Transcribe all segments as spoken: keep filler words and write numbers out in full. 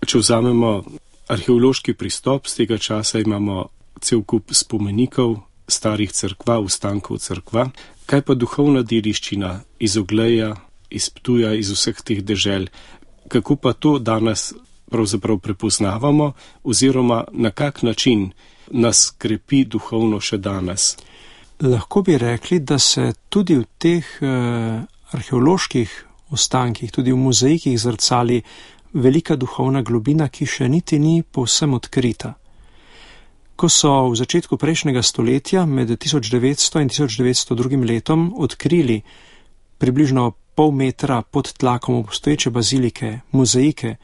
če vzamemo arheološki pristop, z tega časa imamo cel kup spomenikov, starih cerkva, ostankov cerkva. Kaj pa duhovna dediščina iz Ogleja, iz Ptuja, iz vseh teh dežel? Kako pa to danes pravzaprav prepoznavamo oziroma na kak način nas krepi duhovno še danes? Lahko bi rekli, da se tudi v teh eh, arheoloških ostankih, tudi v mozaikih zrcali velika duhovna globina, ki še niti ni povsem odkrita. Ko so v začetku prejšnjega stoletja med tisoč devetsto in tisoč devetsto drugim letom odkrili približno pol metra pod tlakom obstoječe bazilike, mozaike,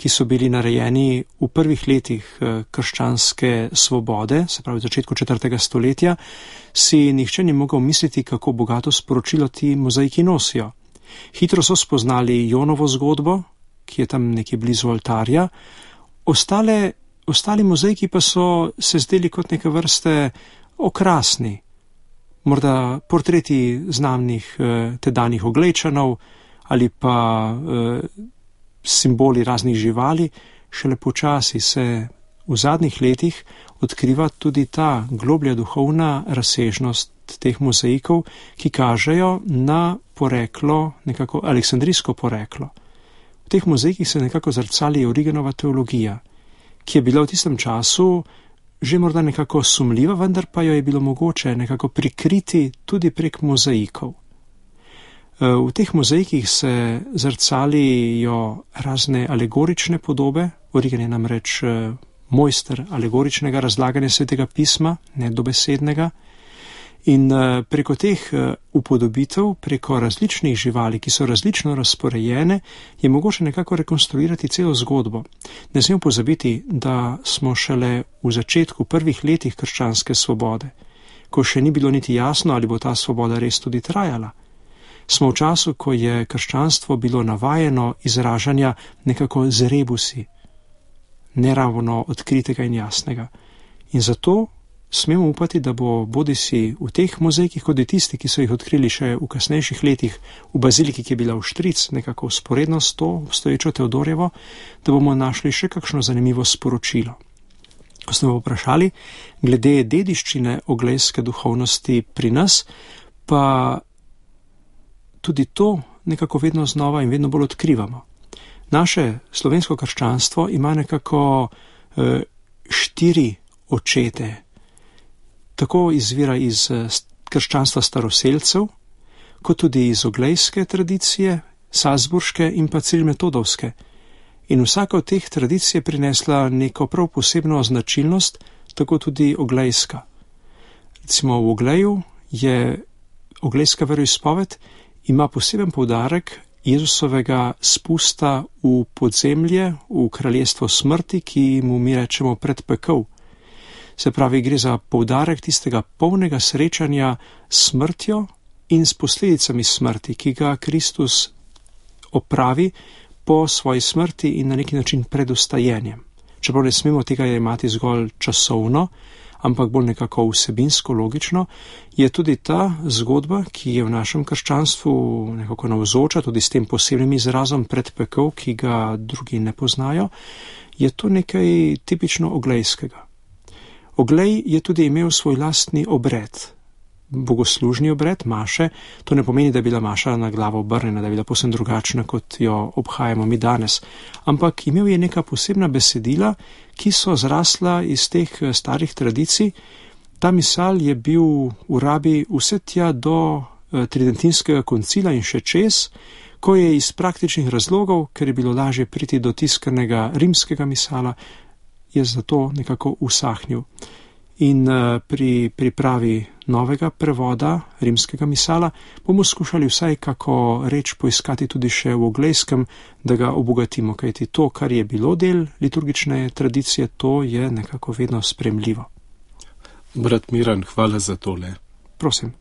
ki so bili narejeni v prvih letih krščanske svobode, se pravi v začetku četrtega stoletja, si nihče ni mogel misliti, kako bogato sporočilo ti mozaiki nosijo. Hitro so spoznali Jonovo zgodbo, ki je tam nekje blizu oltarja, ostale, ostali mozaiki pa so se zdeli kot neke vrste okrasni. Morda portreti znamnih eh, tedanjih Oglejčanov ali pa eh, simboli raznih živali, šele počasi se v zadnjih letih odkriva tudi ta globlja duhovna razsežnost teh mozaikov, ki kažejo na poreklo, nekako aleksandrijsko poreklo. V teh mozaikih se nekako zrcali Origenova teologija, ki je bila v tistem času že morda nekako sumljiva, vendar pa jo je bilo mogoče nekako prikriti tudi prek mozaikov. V teh mozaikih se zrcalijo razne alegorične podobe. Origen je namreč mojster alegoričnega razlaganja Svetega pisma, ne dobesednega. In preko teh upodobitev, preko različnih živali, ki so različno razporejene, je mogoče nekako rekonstruirati celo zgodbo. Ne smemo pozabiti, da smo šele v začetku prvih letih krščanske svobode, ko še ni bilo niti jasno, ali bo ta svoboda res tudi trajala. Smo v času, ko je krščanstvo bilo navajeno izražanja nekako z rebusi, neravno odkritega in jasnega. In zato smemo upati, da bo bodisi v teh mozaikih, kot je tisti, ki so jih odkrili še v kasnejših letih v baziliki, ki je bila v Štric, nekako vzporedno s to obstoječo Teodorjevo, da bomo našli še kakšno zanimivo sporočilo. Ko smo vprašali glede dediščine oglejske duhovnosti pri nas, pa tudi to nekako vedno znova in vedno bolj odkrivamo. Naše slovensko krščanstvo ima nekako e, štiri očete. Tako izvira iz krščanstva staroselcev, kot tudi iz oglejske tradicije, salzburške in pa cirilmetodovske. In vsaka od teh tradicij je prinesla neko prav posebno značilnost, tako tudi oglejska. Recimo v Ogleju je oglejska veroizpoved, ima poseben poudarek Jezusovega spusta v podzemlje, v kraljestvo smrti, ki mu mi rečemo predpekel. Se pravi, gre za poudarek tistega polnega srečanja s smrtjo in s posledicami smrti, ki ga Kristus opravi po svoji smrti in na neki način pred vstajenjem. Čeprav ne smemo tega imati zgolj časovno, ampak bolj nekako vsebinsko, logično, je tudi ta zgodba, ki je v našem krščanstvu nekako navzoča, tudi s tem posebnim izrazom predpekel, ki ga drugi ne poznajo, je to nekaj tipično oglejskega. Oglej je tudi imel svoj lastni obred, bogoslužni obred, maše. To ne pomeni, da je bila maša na glavo obrnjena, da je bila povsem drugačna, kot jo obhajamo mi danes. Ampak imel je neka posebna besedila, ki so zrasla iz teh starih tradicij. Ta misal je bil v rabi vse tja do tridentinskega koncila in še čez, ko je iz praktičnih razlogov, ker je bilo lažje priti do tiskanega rimskega misala, je zato nekako usahnil. In pri pripravi novega prevoda rimskega misala bomo skušali vsaj kako reč poiskati tudi še v oglejskem, da ga obogatimo, kajti to, kar je bilo del liturgične tradicije, to je nekako vedno spremljivo. Brat Miran, hvala za tole. Prosim.